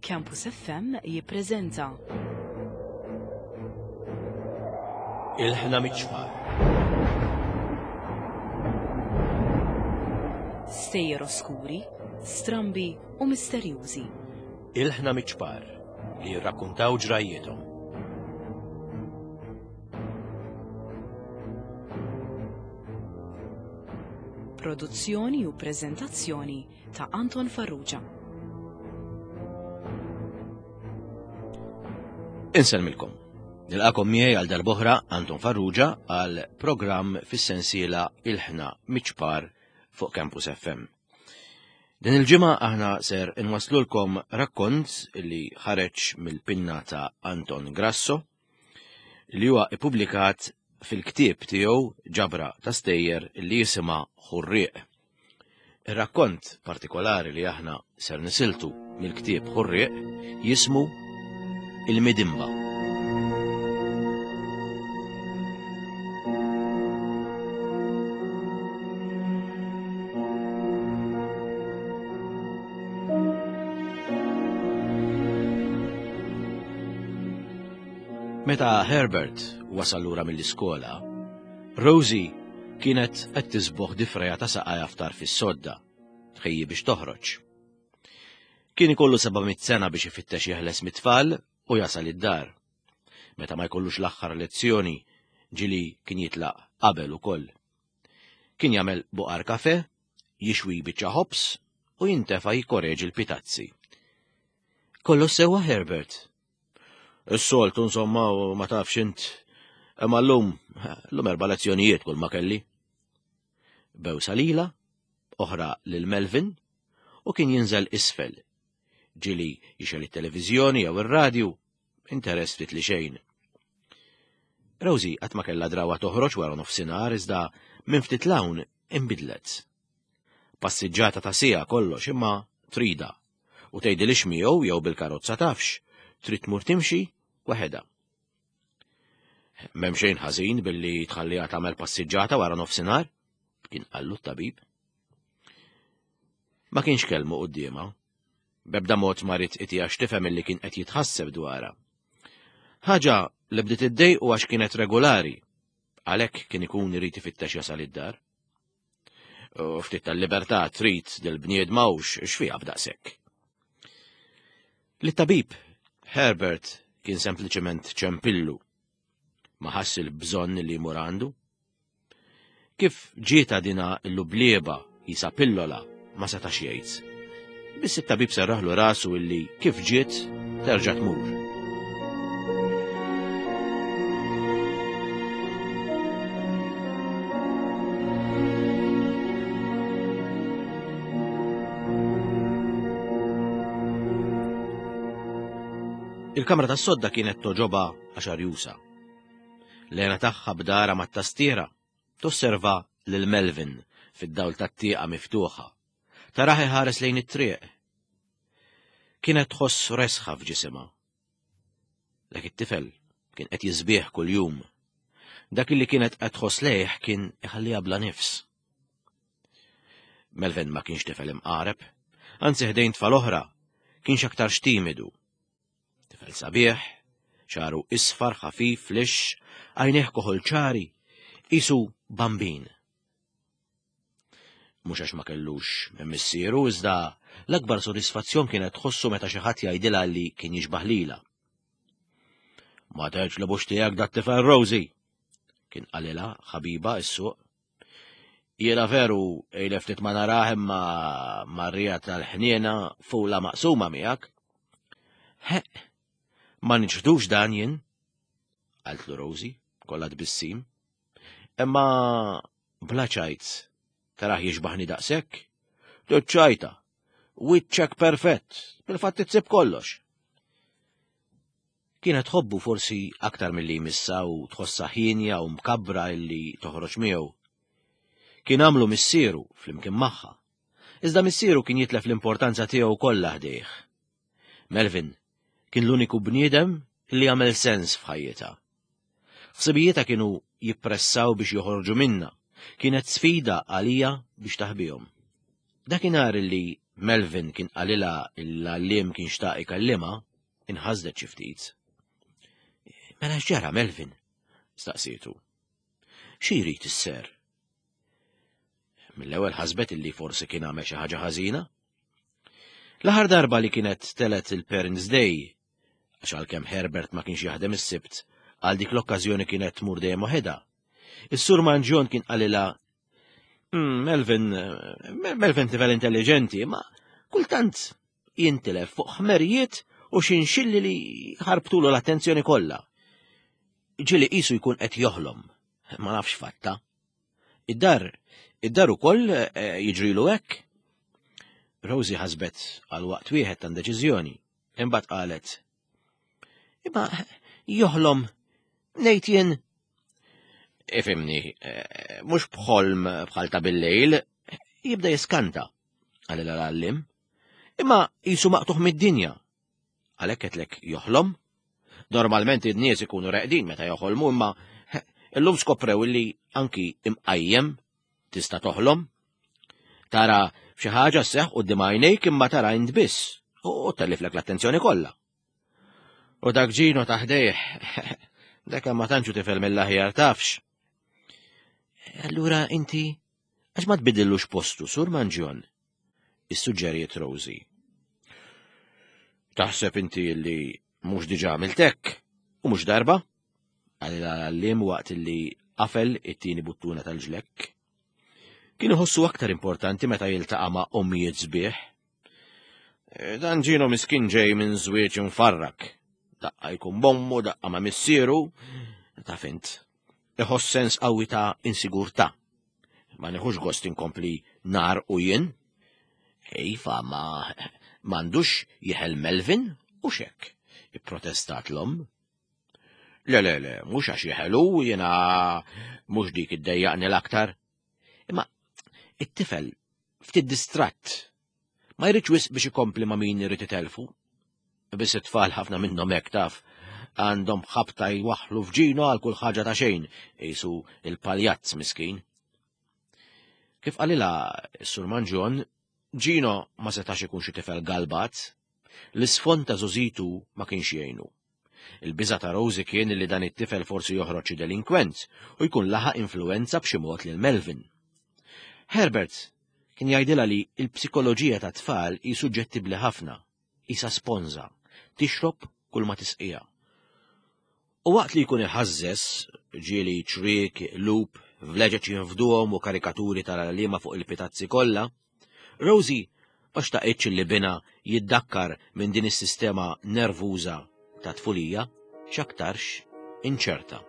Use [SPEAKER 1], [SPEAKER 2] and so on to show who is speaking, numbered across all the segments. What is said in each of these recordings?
[SPEAKER 1] Campus FM jippreżenta.
[SPEAKER 2] Il-ħna miċ-ċpar.
[SPEAKER 1] Stejjer oskuri, strambi u misterjużi.
[SPEAKER 2] Il-ħna miċ-ċpar li jirrakkuntaw ġrajjiethom.
[SPEAKER 1] Produzzjoni u preżentazzjoni ta' Anton Farrugia.
[SPEAKER 2] Insellmilkom. Nilqakom miegħi għal darb'oħra Anton Farrugia għal programm fis-sensiela Il-ħna miċ-ċpar fuq Campus FM. Din il-ġimgħa aħna ser inwaslulkom rakkont li ħareġ mill-pinna ta' Anton Grasso li huwa ippubblikat fil-ktieb tiegħu ġabra ta' stejjer li jisimha Ħurrieq. Ir-rakkont partikolari li aħna ser nisiltu mill-ktieb Ħurrieq jismu Il-Midimba. Meta Herbert wasal lura mill-iskola, Rosie kienet qed tisboħ difreja ta' saqajha ftar fis-sodda, tħejji biex toħroġ. Kien ikollu 700 sena biex ifittex jeħles mit-tfal u jasal id-dar. Meta ma jkollux l-aħħar lezzjoni, ġili kien jitlaq qabel ukoll. Kien jagħmel buqar kafe, jixwi biċċa ħobż u jintefa' jikkoreġi l-pitazzi. Kollox sewwa Herbert, Is-soltu insomma ma tafx int. Imma llum, llum erba' lezzjonijiet kull ma kelli. Bewsa lila, oħra lil Melvin, u kien jinżel isfel. Ġili jixel it-televiżjoni jew ir-radju, interess ftit li xejn. Rosie qatt ma kellha drawa toħroġ wara nofsinhar iżda minn ftit l-hawn inbidlet. Passiġġata ta' siegħa kollox imma trida u tgħidilix miegħu jew bil-karozza tafx, trid tmur timxi waħedha. M'hemm xejn ħażin billi tħalliha tagħmel passiġġata wara nofsinhar, kien qallu t-tabib. Ma kienx kelmu quddiemha. Bebda mod ma rid itiha x'tifhem illi kien qed jitħasseb dwarha. Ħaġa li bdiet iddejqu għax kienet regolari, għalhekk kien ikun irid ifittex jasal id-dar. U ftit tal-libertà trid dil-bniedma u x'fiha b'daqshekk. Lit-tabib Herbert kien sempliċement ċempillu. Ma ħass il-bżonn li jmur għandu. Kif ġieta dina l-lublieba jisa pillola ma setax jgħid. Biss it-tabib serraħlu rasu illi kif ġiet terġa' tmur. Il-kamra tas-sodda kienet toġoba għax arjusa. Lena tagħha b'dara mat-tastiera tosserva lil Melvin fid-dawl tat-tieqa miftuħa. Tarah iħares lejn it-triq. Kienet tħoss resħa f'ġisimha. Dak it-tifel kien qed jiżbieħ kuljum. Dak li kienet qed tħoss lejh kien iħalliha bla nifs. Melvin ma kienx tifel imqareb, anzi ħdejn tfal oħra, kienx aktar timidu. Tifel sabiħ, xaru isfar ħafif lix, għajnejh koħol ċari, isu bambin. Mhux għax ma kellux minn missieru, iżda l-akbar sodisfazzjon kienet tħossu meta xi ħadd jgħidilha li kien jixbah lilha. Ma tgħidx li bux tiegħek dat tifel Rosie, kien qalilha ħabiba s-suq. Jiena veru ilef ftit ma narah imma marrija tal-ħniena fula maqsuma miegħek. Heq, ma niċħdux dan jien, qaltlu Rosie, kollha tbissim. Imma Bla ċajt, tarah jixbaħni daqshekk? Ċajta, wiċċek perfett, bil-fatt tsib kollox. Kienet tħobbu forsi aktar milli jmissa u tħossha ħienja u mkabbra illi toħroġ miegħu. Kien għamlu missieru flimkien magħha. Iżda missieru kien jitlef l-importanza tiegħu kollha ħdejh. Melvin kien l-uniku bniedem li għamel sens f'ħajjitha. Ħsibijietha kienu jippressaw biex joħorġu minnha. Kienet sfida għalija biex taħbihom. Dakinhar li Melvin kien qalilha l-għalliem kien xtaq ikellimha, inħasdet xi ftit. Mela x'ġara Melvin? staqsietu. Xi jrid isser? Mill-ewwel ħasbet illi forsi kien għamel xi ħaġa ħażina. L-aħħar darba li kienet telet il-Parents Day, għax għalkemm Herbert ma kienx jaħdem is-Sibt, għal dik l-okkażjoni kienet tmur dejjem waħedha. Is-Sur Manġjon kien qalilha mm, Melvin, Melvin tifel intelligenti, ma kultant jintilef fuq ħmerijiet u xinxilli li ħarbtulu l-attenzjoni kollha. Ġieli qisu jkun qed joħlom, ma nafx fatta. Id-dar, id-dar ukoll eh, jiġrilu hekk. Rosie ħasbet għal waqt wieħed ta' deċiżjoni, imbagħad qalet. Imma joħlom ngħid jien ifimni, eh, mhux bħolm bħal ta' bil-lejl, jibda jiskanta, għal l-għallim, imma jisu maqtuħ mid-dinja. Għalhekk qedlek joħlom? Normalment in-nies ikunu reqdin meta joħolmu imma illum skoprew li anki imqajjem tista' toħlom. Tara xi ħaġa sseħħ quddiem għajnejk imma tara int biss u telliflek l-attenzjoni kollha. U dak ġino taħdejh, dak ma tantxu tifel mill-aħjar tafx. Allura inti għax ma tbidillux postu sur Manġjon? Issuġġeriet Rosie. Taħseb inti li mhux diġà għamilt hekk u mhux darba? Qalilha l-għalliem waqt li qafel it-tieni buttuna tal-ġlekk. Kien iħossu aktar importanti meta jiltaqa' ma' ommijiet sbieħ. E, dan ġino miskin ġej minn żwieġ imfarrak. Daqqa jkun bommu, daqqa ma' missieru, taf int. Iħoss sens qawwi ta' insigurtà. Ma nieħux gost inkompli nar u jien. Iva, ma m'għandux jeħel Melvin u xek, ipprotestat l-omm. Le, le, le, mhux għax jeħelu jiena mhux dik iddejjaqni l-aktar. Imma it-tifel ftit distratt. Ma jridx wisq biex ikompli ma' min irid itelfu. Biss it-tfal ħafna minnhom hekk taf għandhom ħabta jwaħħlu f'ġino għal kull ħaġa ta' xejn, qisu il-paljazz miskin. Kif qalilha s-Sur Manġon, Ġino ma setax ikun xi tifel galbat, l-isfond ta' żożitu ma kienx jgħinu. Il-biża' ta' Rosie kien li dan it-tifel forsi joħroġ xi delinkwent u jkun laħaq influwenza b'xi mod lil Melvin. Herbert kien jgħidilha li l-psikoloġija tat-tfal hi suġġettibbli ħafna, qisha sponża, tixrob kull ma tisqiha. U waqt li jkun iħażżeż, ġieli ċriek, qlub, vleġeġ jinfduhom u karikaturi tal-għalliema fuq il-pitazzi kollha, Rosie ma xtaqitx li binha jiddakkar minn din is-sistema nervuża ta' tfulija x'aktarx inċerta.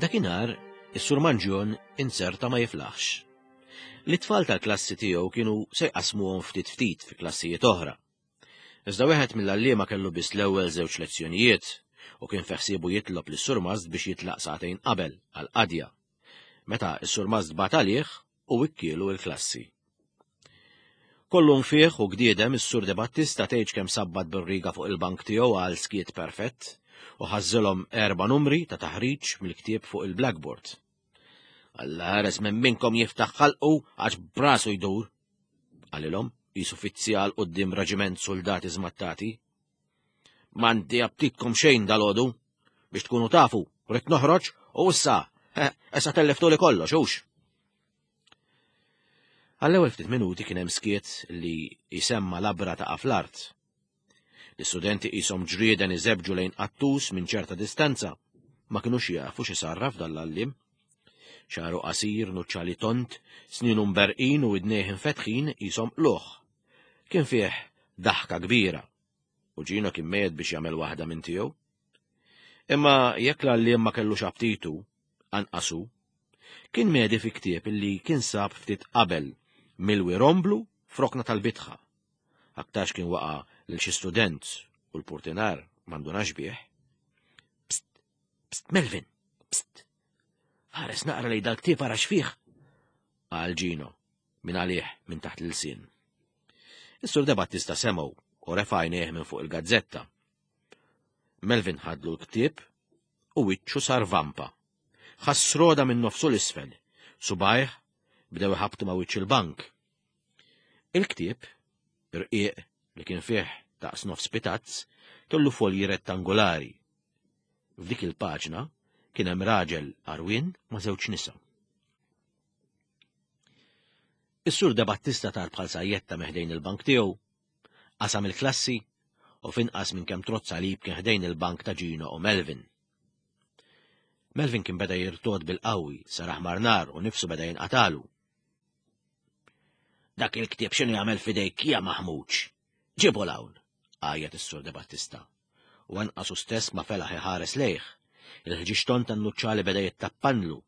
[SPEAKER 2] Dakinhar, is-Sur Manġjon inzerta ma jiflaħx. L-itfal tal-klassi tiegħu kienu se jqasmuhom ftit ftit fi klassijiet oħra. Iżda wieħed mill-għalliema kellu biss l-ewwel żewġ lezzjonijiet u kien feħsiebu jitlob lis-surmast biex jitlaq sagħtejn qabel għal qadja. Meta s-surmast bagħat għalih u wikkielu l-klassi. Kollu nfieħ u gdiedem is-Sur De Battista tgħidx kemm sabbat bir-riga fuq il-bank tiegħu għal skiet perfett u ħażżilhom erba' numri ta' taħriġ mill-ktieb fuq il-blackboard. Alla ħares minn minnkom jiftaħ ħalqu għax brasu jdur, qalilhom qisu fizzjal quddiem raġiment suldati żmattati. M'għandi aptitkom xejn dalodu biex tkunu tafu, rrid noħroġ u issa, eh, issa telliftuli kollox, hux. Għall-ewwel ftit minuti kien hemm skiet li jsemma labra ta' fl-art. L-istudenti qishom ġrieden iżebġu lejn qattus minn ċerta distanza, ma kinux jafu x'isarraf dan l-għalliem. Xagħru qasir, nuċċali tond, snienu mberrqin u widnejh infetħin qishom qlugħ. Kien fih daħka kbira u Gino kien mejjet biex jagħmel waħda minn tiegħu. Imma jekk l-għalliem ma kellux aptitu, anqas hu. Kien medi fi ktieb illi kien sab ftit qabel milwi romblu f'rokna tal-bitħa. Aktarx kien waqa' lil xi student u l-purtinar ma ndunax bih. Psst, psst, Melvin, psst. Ħares naqra lejn dal-ktieb ara x'fih. Qal Gino, minn għalih minn taħt l-ilsien. Is-Sur De Battista semgħu u refa' għajnejh minn fuq il-gazzetta. Melvin ħadlu l-ktieb u wiċċu sar vampa. Ħass roda minn nofsu l-isfel, subajh bdew iħabtu ma' wiċċ il-bank. Il-ktieb, irqiq li kien fih daqs nofs pitazz, kellu folji rettangolari. F'dik il-paġna kien hemm raġel għarwien ma' żewġ nisa. Is-Sur De Battista tar bħal sajjetta meħdejn il-bank tiegħu, qasam il-klassi u finqas minn kemm trozza lib kien ħdejn il-bank ta' Gino u Melvin. Melvin kien beda jirtod bil-qawwi, sar aħmar nar u nifsu beda jinqatalu. Dak il-ktieb x'inhu jagħmel f'idejk ja maħmuġ? Ġibu l-hawn, għajjat is-Sur De Battista. U anqas hu stess ma felaħ iħares lejh. Il-ħġiġton tan-nuċċali beda jittappanlu.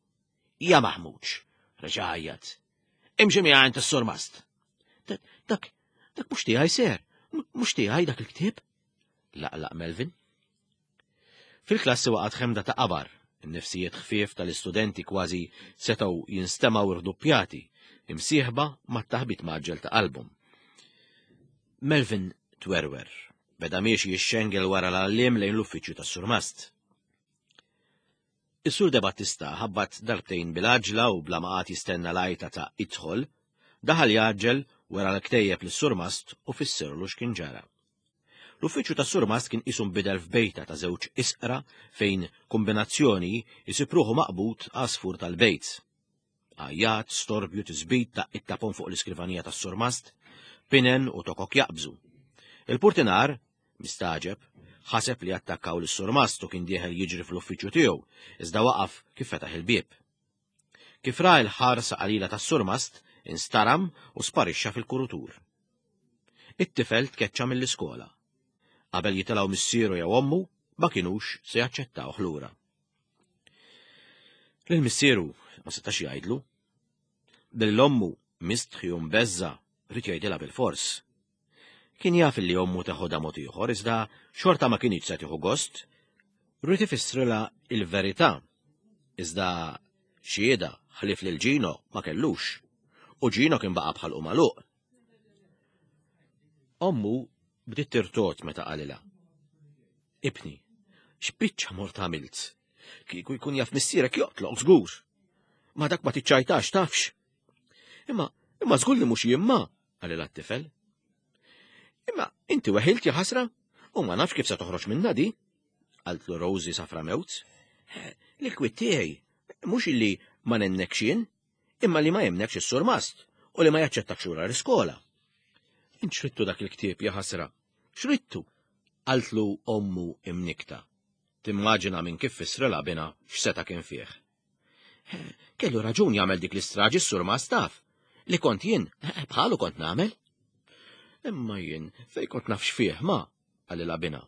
[SPEAKER 2] Ja maħmuġ, reġa' għajjat. Imxi miegħi għand is-surmast. Dak, dak mhux tiegħi ser, mhux tiegħi dak il-ktieb. Laqlaq Melvin. Fil-klassi waqgħet ħemda ta' qabar, in-nifsijiet ħfief tal-istudenti kważi setgħu jinstemgħu rduppjati, imsieħba mat-taħbit mgħaġġel ta' qalbhom. Melvin twerwer, beda miexi jixxengel wara l-għalliem lejn l-uffiċċju tas-surmast. Is-Sur De Battista ħabbat darbtejn bil-għaġla u bla ma qagħad jistenna l-għajta ta' idħol, daħal jgħaġġel, wera l-ktejjeb lis-surmast u fissirlu x'kien ġara. L-uffiċċju tas-surmast kien qisu nbidel f'bejta ta' żewġ isqra fejn kombinazzjoni jsib ruħu maqbud għasfur tal-bejt. Għajjat, storbju, tisbit, daqqiet ta' ponn fuq l-iskrivanija tas-surmast, pinen u tokok jaqbżu. Il-purtinar, mistagħġeb, ħaseb li attakkaw lis-surmast u kien dieħel jiġri fl-uffiċċju tiegħu, iżda waqaf kif fetaħ il-bieb. Kif ra l-ħarsa qalila tas-surmast, instaram u sparixxa fil-kurutur. It-tifel tkeċċa mill-iskola. Qabel jitilgħu missieru jew ommu, ma kinux se jaċċettawh lura. Lil missieru ma setax jgħidlu. Lil ommu mistħi u mbeżża' ried jgħidilha bilfors. Kien jaf li ommu teħodha mod ieħor iżda xorta ma kinitx se tieħu gost. Ried ifissrilha il-verità. Iżda xhieda ħlief lil Gino ma kellux. U Gino kien baqa' bħalqu magħluq. Ommu bdiet tirtod meta qalilha. Ibni, x'biċċa mort għamilt? Kieku jkun jaf missierek joqtlok żgur. Ma dak ma tiċċajtax tafx. Imma, imma żgur li mhux jien ma, qalilha t-tifel. Imma inti weħilt ja ħasra u ma nafx kif se toħroġ minna di. Qaltlu Rosie safra mewt. L-kwit tiegħi mhux illi ma nennekx jien, imma li ma jemnekx is-surmast u li ma jaċċettakx lura l-iskola. Int xrittu dak il-ktieb ja ħasra? Xrittu? Qaltlu ommu imnikta. Timmaġina minn kif fissrilha binha x'seta' kien fih. Kellu raġun jagħmel dik l-istraġi s-surmast taf. Li kont jien, bħalu kont nagħmel. Imma jien fejn kont naf x'fih ma, qalilha binha.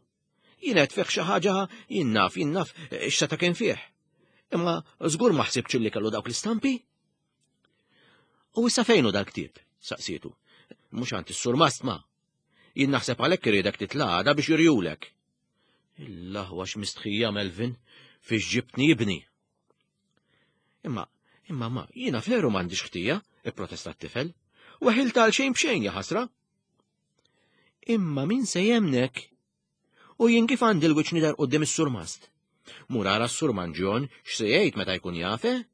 [SPEAKER 2] Jien qed fih xi ħaġa jien naf, jien naf x'seta' kien fih. Imma żgur ma ħsibtx li kellu dawk l-istampi. U issa fejn hu dal-ktieb? saqsietu. Mhux għand is-surmast ma. Jien naħseb għalhekk iriedek titla' għada biex jurjulek. Il-laħwa x'mistħija Melvin fiex ġibtni ibni. Imma, imma ma, jiena veru m'għandix ħtija, ipprotesta t-tifel. Weħilt għal xejn b'xejn ja ħasra. Imma min se jemnek? U jien kif għandi l-wiċċ nidher quddiem is-surmast? Mur ara s-surmanġjon x'se jgħid meta jkun jaf, eh?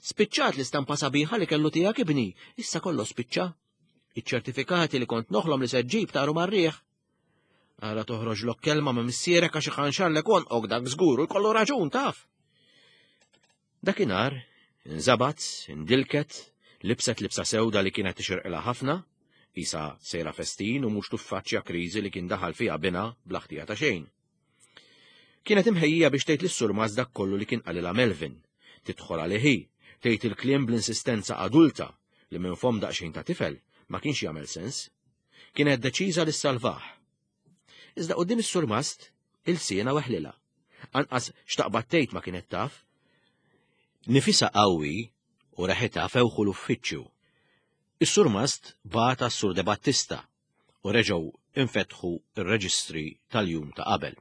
[SPEAKER 2] Spiċċat l-istampa sabiħa li kellu tiegħek ibni, issa kollox spiċċa. Iċ-ċertifikati li kont noħlom li se ġġib taru mar-riħ. Ara toħroġlok kelma ma' missierek għax iħanxarlek għonqok dak żgur u jkollu raġun taf. Dakinhar, inżabat, indilket, libset libsa sewda li kienet tixirqilha ħafna, qisha sejra festin u mhux tuffaċċja kriżi li kien daħal fiha binha bla ħtija ta' xejn. Kienet imħejjija biex tgħid lis-surmast dak kollu li kien qalilha Melvin, tidħol għalih hi, tgħid il-kliem bl-insistenza adulta li minn fomm daqsxejn ta' tifel ma kienx jagħmel sens. Kienet deċiża li ssalvah. Iżda quddiem is-surmast, ilsienha weħlilha. Anqas x'taqbad tgħid ma kienet taf. Nifisha qawwi u reħitha fewħu l-uffiċċju. Is-surmast bagħat għas-Sur De Battista u reġgħu infetħu r-reġistri tal-jum ta' qabel.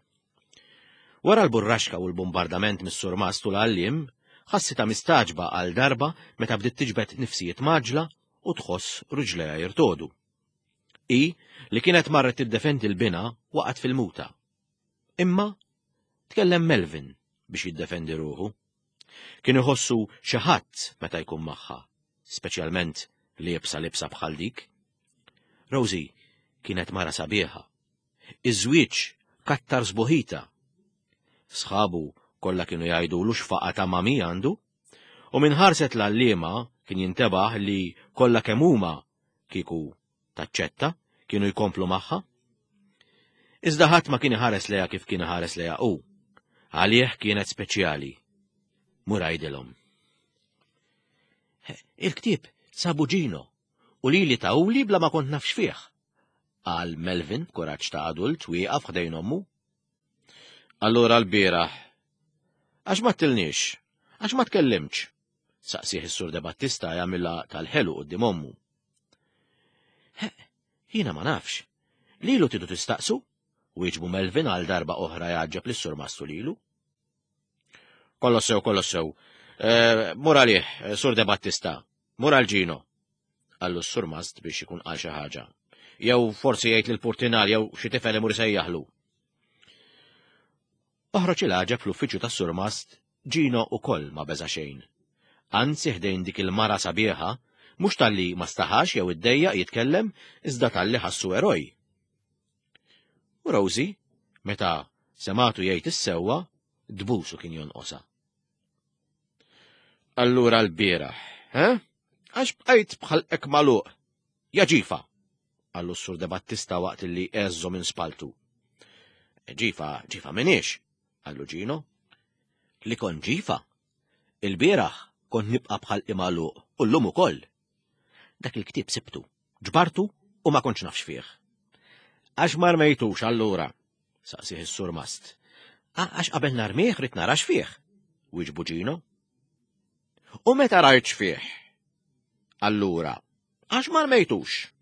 [SPEAKER 2] Wara l-burraxka u l-bombardament mis-surmast u l-għalliem, Ħassitha mistagħġba għal darba meta bdiet tiġbed nifsijiet mgħaġġla u tħoss riġlejha jirtogħdu. Hi, li kienet marret tiddefendi l-binha, waqgħet fil-muta. Imma tkellem Melvin biex jiddefendi ruħu. Kien iħossu xi ħadd meta jkun magħha, speċjalment liebsa libsa bħal dik. Rosie kienet mara sabiħa. Iż-żwieġ kattar sbuħita. Sħabu kollha kienu jgħidulu x'faqa ta' mami għandu. U minn ħarset l-għalliema kien jintebaħ li kollha kemm huma kieku taċċetta kienu jkomplu magħha. Iżda ħadd ma kien iħares lejha kif kien iħares lejha hu. Għalih kienet speċjali. Mur għidilhom. Il-ktieb sabu Ġino u lili tawli bla ma kont naf x'fih. Qal Melvin b'kuraġġ ta' adult wieqaf ħdejn ommu. Allura l-bieraħ. Għax ma ttilniex? Għax ma tkellimtx? Saqsih is-Sur De Battista jagħmilha tal-ħelu quddiem ommu. Jiena ma nafx. Lilu tidu tistaqsu? Wieġbu Melvin għal darba oħra jgħaġġeb lis-Sur Mastu lilu. Kollox sew, kollox sew. Eh, mur għalih, eh, Sur De Battista, mur għal Ġino. Qallu s-surmast biex ikun qal xi ħaġa. Jew forsi jgħid lill-purtinar jew xi tifel imur isejjaħlu. Oħroġ il-għaġeb fl-uffiċċju tas-surmast, Ġino ukoll ma beża' xejn. Anzi ħdejn dik il-mara sabiħa, mhux talli ma staħax jew iddejjaq jitkellem, iżda talli ħassu eroj. U Rosie, meta sematu jgħid is-sewwa, dbusu kien jonqosha. Allura l-bieraħ, eh? Għax bqajt bħal ek magħluq. Ja ġifa! Qallu s-Sur De Battista waqt li għeżżu minn spaltu. Ġifa, ġifa minix, qallu Ġino. Li kont ġifa? Il-bieraħ kont nibqa' bħal imagħluq u llum ukoll. Dak il-ktieb sibtu, ġbartu u ma kontx nafx fih. Għax ma rmejtux allura? saqsih is-surmast. Għax qabel narmih rrid nara x'fih, wieġbu Ġino. U meta rajt x'fih? Allura, għax ma rmejtux?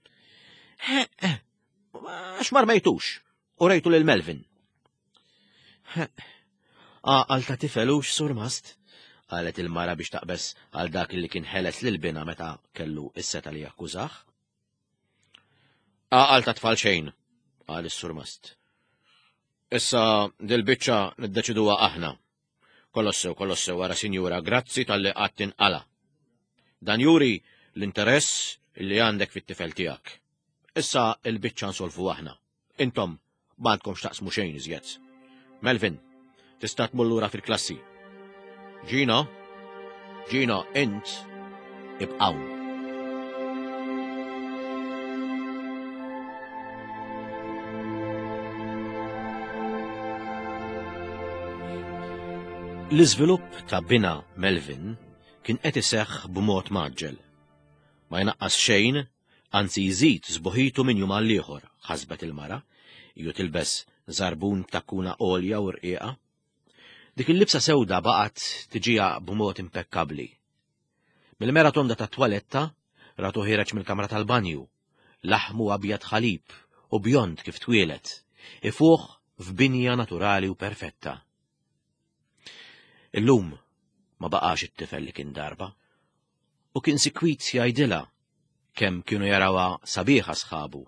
[SPEAKER 2] Għax ma rmejtux? U rejtu lil Melvin. Għal ta' tifelux, surmast, qalet il-mara biex taqbes għal dak li kien ħeles lil bina meta kellu is-seta li jakkużah. Għaqal ta' tfal xejn, qal is-surmast. Issa dil-biċċa niddeċiduha aħna. Kollox sew, kollox sew, wara sinjura, grazzi talli qatt tinqala. Dan juri l-interess li għandek fit-tifel tiegħek. Issa il-biċċa nsolvu aħna. Intom m'għandkom x'taqsmu xejn iżjed. Melvin, tista' tmur lura fil-klassi. Gino, Gino, int ibqgħu. L-iżvilupp ta' bina Melvin kien qed iseħħ b'mod mgħaġġel. Ma jnaqqas xejn Anzi jżid sbuħitu minn jum għall-ieħor, ħasbet il-mara, ju tilbes żarbun b'takkuna għolja u rqiqa. Dik il-libsa sewda baqgħet tiġiha b'mod impekkabbli. Mill-mera tonda tat-twaletta ratu ħiereġ mill-kamra tal-banju, laħmu abjad ħalib u bjond kif twieled, ifuħ f'binja naturali u perfetta. Illum ma baqax it-tifel li kien darba, u kien sikwit jgħidilha kemm kienu jarawha sabiħa sħabu,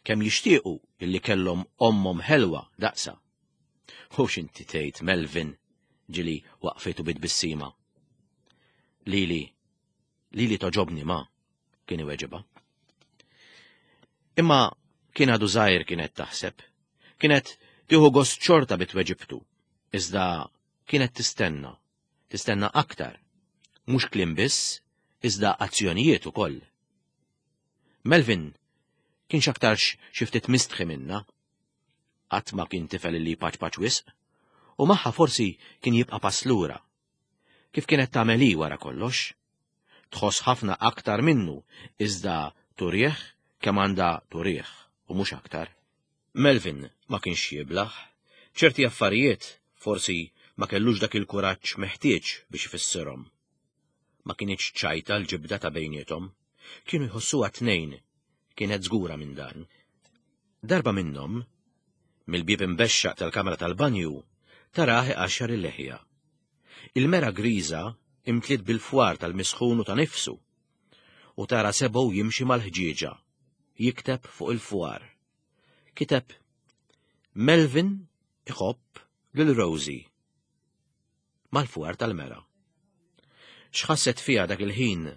[SPEAKER 2] kemm jixtiequ illi kellhom ommhom ħelwa daqsha. U x'inti tgħid Melvin ġili waqfitu bi tbissima. Lili, lili toġobni ma, kien iweġibha. Imma kien għadu żgħir kienet taħseb. Kienet tieħu gost xorta bi tweġibtu, iżda kienet tistenna Tistenna aktar. Mhux kliem biss, iżda azzjonijiet ukoll. Melvin kien x'aktarx xi ftit mistħi minnha. Qatt ma kien tifel li jpaċpaċ wisq, u magħha forsi kien jibqa' pass lura. Kif kienet tagħmel hi wara kollox? Tħoss ħafna aktar minnu, iżda turih kemm għandha turih u mhux aktar. Melvin ma kienx jiblah. Ċerti affarijiet forsi ma kellux dak il-kuraġġ meħtieġ biex ifissirhom. Ma kinitx ċajta l-ġibda ta' bejniethom. Kienu jħossuha t-tnejn, kienet żgura minn dan. Darba minnhom, mill-bieb imbexxaq tal-kamra tal-banju, tarah iqaxxar il-leħja. Il-mera griża imtliet bil-fwar tal-misħun u ta' nifsu u tara sebgħu jimxi mal-ħġieġa, jikteb fuq il-fwar. Kiteb Melvin iħobb lil Rosie mal-fwar tal-mera. X'ħasset fiha dak il-ħin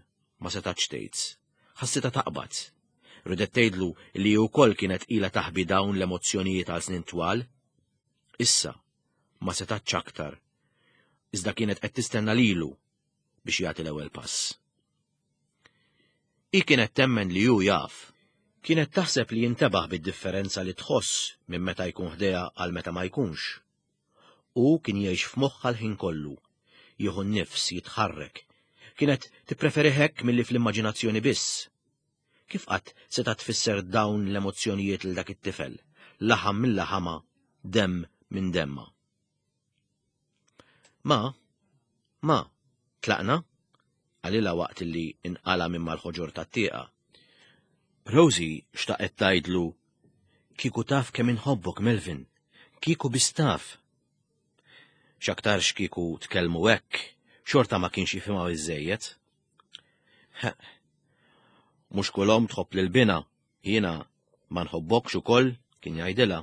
[SPEAKER 2] ma setgħetx tgħid. Ħassitha taqbad. Ridet tgħidlu li hi wkoll kienet ilha taħbi dawn l-emozzjonijiet għal snin twal. Issa ma setgħetx aktar. Iżda kienet qed tistenna lilu biex jagħti l-ewwel pass. Hi kienet temmen li hu jaf. Kienet taħseb li jintebaħ bid-differenza li tħoss minn meta jkun ħdejha għal meta ma jkunx. Hu kien jgħix f'moħħha l-ħin kollu, jieħu n-nifs, jitħarrek. Kienet tippreferih hekk milli fl-immaġinazzjoni biss. Kif qatt setgħet tfisser dawn l-emozzjonijiet lil dak it-tifel, laħam minn laħamha, demm minn demmha? Ma, ma, tlaqna? qalilha waqt li inqala' minn mal-ħoġor tat-tieqa. Rosie xtaqet tgħidlu, Kieku taf kemm inħobbok, Melvin, kieku biss taf. X'aktarx kieku tkellmu hekk, xorta ma kienx jifhimha biżżejjed. Mhux kull omm tħobb lil binha, jiena ma nħobbokx ukoll, kien jgħidilha.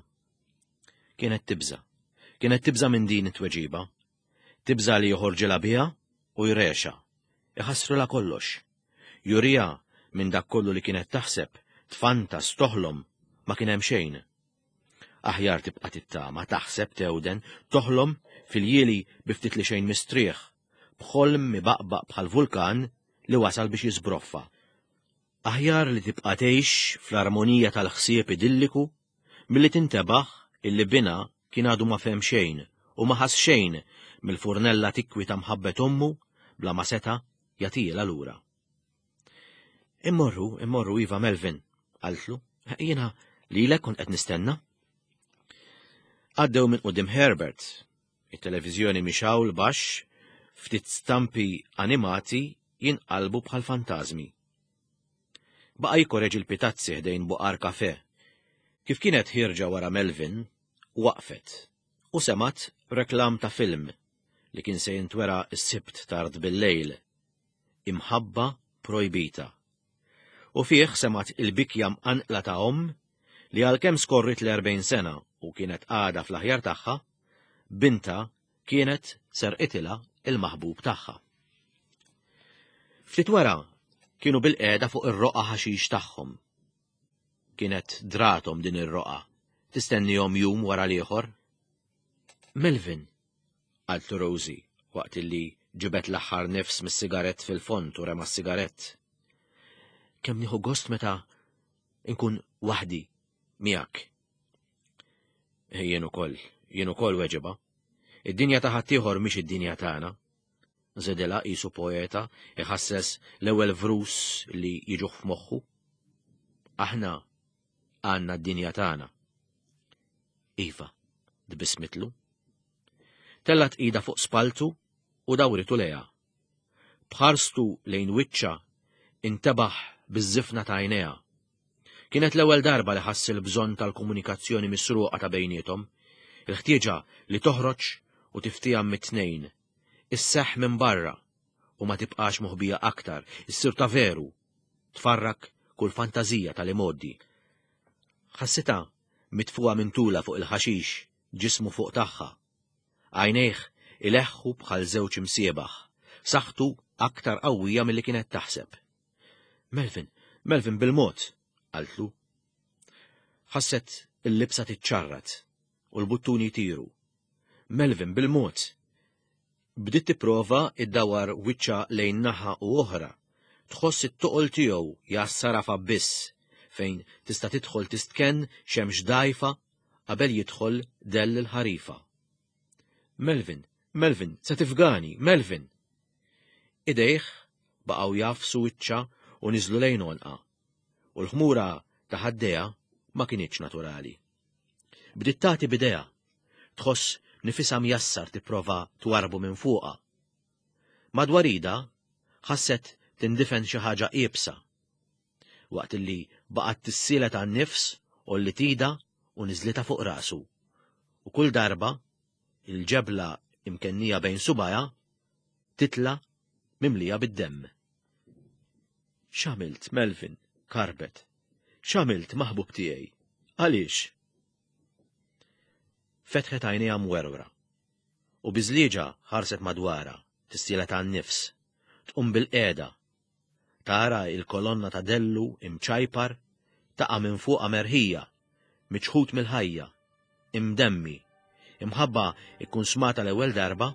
[SPEAKER 2] Kienet tibża'. Kienet tibża' minn din it-tweġiba. Tibża' li joħorġilha biha u jrexha. Iħassrilha kollox. Juriha minn dak kollu li kienet taħseb, tfantas, toħlom, ma kien hemm xejn. Aħjar tibqa' tittama, taħseb, tewden, toħlom fil-jieli bi ftit li xejn mistrieħ, b'ħolm mibaqbaq bħal vulkan li wasal biex jiżbroffa. Aħjar li tibqa' tgħix fl-armonija tal-ħsieb idilliku milli tintebaħ illi binha kien għadu ma fehem xejn u ma ħass xejn mill-furnella tikwi ta' mħabbet ommu bla ma seta' jagħtihielha lura. Immorru, immorru iva Melvin, qaltlu, jiena lilek kont qed nistenna. Għaddew minn quddiem Herbert, it-televiżjoni mixgħul baxx, ftit stampi animati jinqalbu bħal fantażmi. Baqa' jikkoreġi l-pitazzi ħdejn buqar kafè. Kif kienet ħierġa wara Melvin, waqfet u semgħet reklam ta' film li kien se jintwera s-Sibt tard bil-lejl, Imħabba Projbita. U fih semgħet il-bikja mqanqla ta' omm li għalkemm skorriet l-40 sena u kienet għadha fl-aħjar tagħha, bintha kienet serqitilha il-maħbub tagħha. Ftit wara kienu bil-qiegħda fuq ir-roqgħa ħaxix tagħhom. Kienet drathom din ir-roqgħa, tistennihom jum wara l-ieħor. Melvin, qaltlu Rosie waqt illi ġibet l-aħħar nifs mis-sigarett fil-fond u rema s-sigarett. Kemm nieħu gost meta nkun waħdi miegħek. Jien ukoll, jien ukoll weġiba. Id-dinja ta' ħaddieħor mhix id-dinja tagħna. Żedilha qisu poeta iħasses l-ewwel vrus li jiġuh f'moħħu. Aħna għandna d-dinja tagħna. Iva, tbissmitlu. Tellat ida fuq spaltu u dawritu lejha. B'ħarstu lejn wiċċha intebaħ biż-żifna ta' għajnejha. Kienet l-ewwel darba li ħass il-bżonn tal-komunikazzjoni misruqa ta' bejniethom, il-ħtieġa li toħroġ u tiftieham mit-tnejn, isseħħ minn barra u ma tibqax moħbija aktar, issir ta' veru, tfarrak kull fantażija tal-imgħoddi. Ħassitha mitfugħa minn tulha fuq il-ħaxix, ġismu fuq tagħha. Għajnejh ileħħu bħal żewġ imsiebaħ, saħħtu aktar qawwija milli kienet taħseb. Melvin, Melvin bil-mod, qaltlu. Ħasset il-libsa tiċċarrat u l-buttuni jtiru. Melvin bil-mod. Bdiet tipprova iddawar wiċċha lejn naħa u oħra. Tħoss it-toqol tiegħu jgħassarha f'abbiss fejn tista' tidħol tistkenn xemx dgħajfa qabel jidħol dell il-ħarifa. Melvin, Melvin, se tifgani, Melvin! Idejh baqgħu jagħfsu wiċċha u niżlu lejn għonqha, u l-ħmura ta' ħaddejha ma kinitx naturali. Bdiet tagħti b'idejha, tħoss nifisha mjassar tipprova twarrbu minn fuqha. Madwar idha ħasset tindifen xi ħaġa iebsa. Waqt li baqgħet tissielet għan-nifs għolliet idha u niżlitha fuq rasu. U kull darba, il-ġebla imkennija bejn subgħajha. titla' mimlija bid-demm. X'għamilt, Melvin? karbet. X'għamilt, maħbub tiegħi? Għaliex? Fetħet għajnejha mwerwra. U biżlieġa ħarset madwarha, tissielet għan-nifs, tqum bil-qiegħda. Tara il-kolonna ta' dellu imċajpar taqa' minn fuqha merħija, miċħud mill-ħajja, imdemmi, imħabba ikkunsmata l-ewwel darba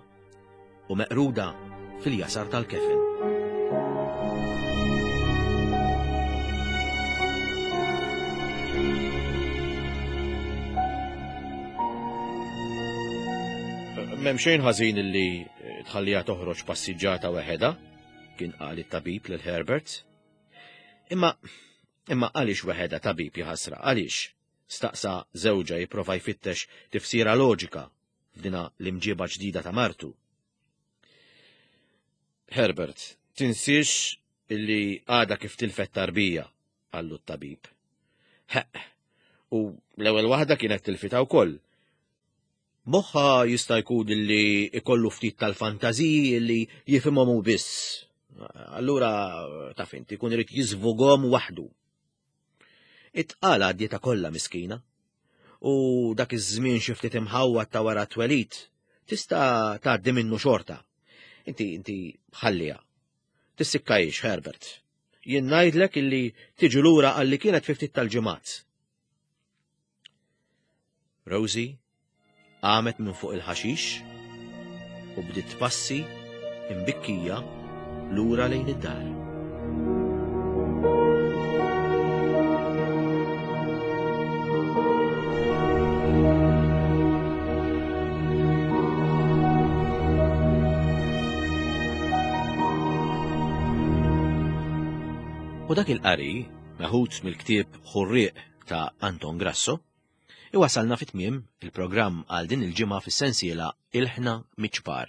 [SPEAKER 2] u meqruda fil-jasar tal-kefen. M'hemm xejn ħażin illi tħalliha toħroġ passiġġata weħedha, kien qal it-tabib lil Herbert. Imma imma għaliex weħedha tabib jaħasra, għaliex? Staqsa żewġha jipprova jfittex tifsira loġika f'dina l-imġiba ġdida ta' martu. Herbert, tinsiex illi għada kif tilfet tarbija, qallu t-tabib. Heq, u l-ewwel waħda kienet tilfita wkoll. Moħħa jista' jkun illi ikollu ftit tal-fantażiji illi jifhimhom hu biss. Allura taf inti jkun irid jiżvughom waħdu. It-tqala għaddietha kollha miskina. U dak iż-żmien xi ftit imħawwad ta' wara t-twelid tista' tgħaddi minnu xorta. Inti inti ħalliha. Tissikkajx, Herbert. Jien ngħidlek illi tiġi lura għalli kienet fi ftit tal-ġimgħat. Rosie qamet minn fuq il-ħaxix u bdiet tpassi imbikkija lura lejn id-dar. U dak il-qari, meħud mill-ktieb Ħurrieq ta' Anton Grasso, Iwasalna fi tmiem il-programm għal din il-ġimgħa fis-sensiela Ilħna Miċ-Ċpar.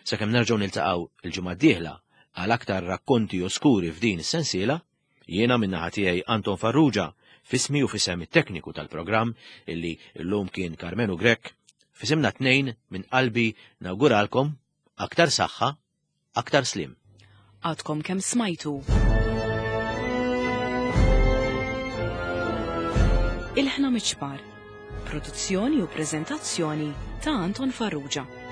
[SPEAKER 2] Sakemm nerġgħu niltaqgħu il-ġimgħa d-dieħla għal aktar rakkonti oskuri f'din is-sensiela, jiena min-naħa tiegħi Anton Farrugia f'ismi u f'isem it-tekniku tal-programm illi llum kien Karmenu Grech, f'isimna tnejn minn qalbi nawguralkom aktar saħħa Aktar sliem.
[SPEAKER 1] Għadkom kemm smajtu. Ilħna miċ-ċpar. Produzzjoni u preżentazzjoni ta' Anton Farrugia.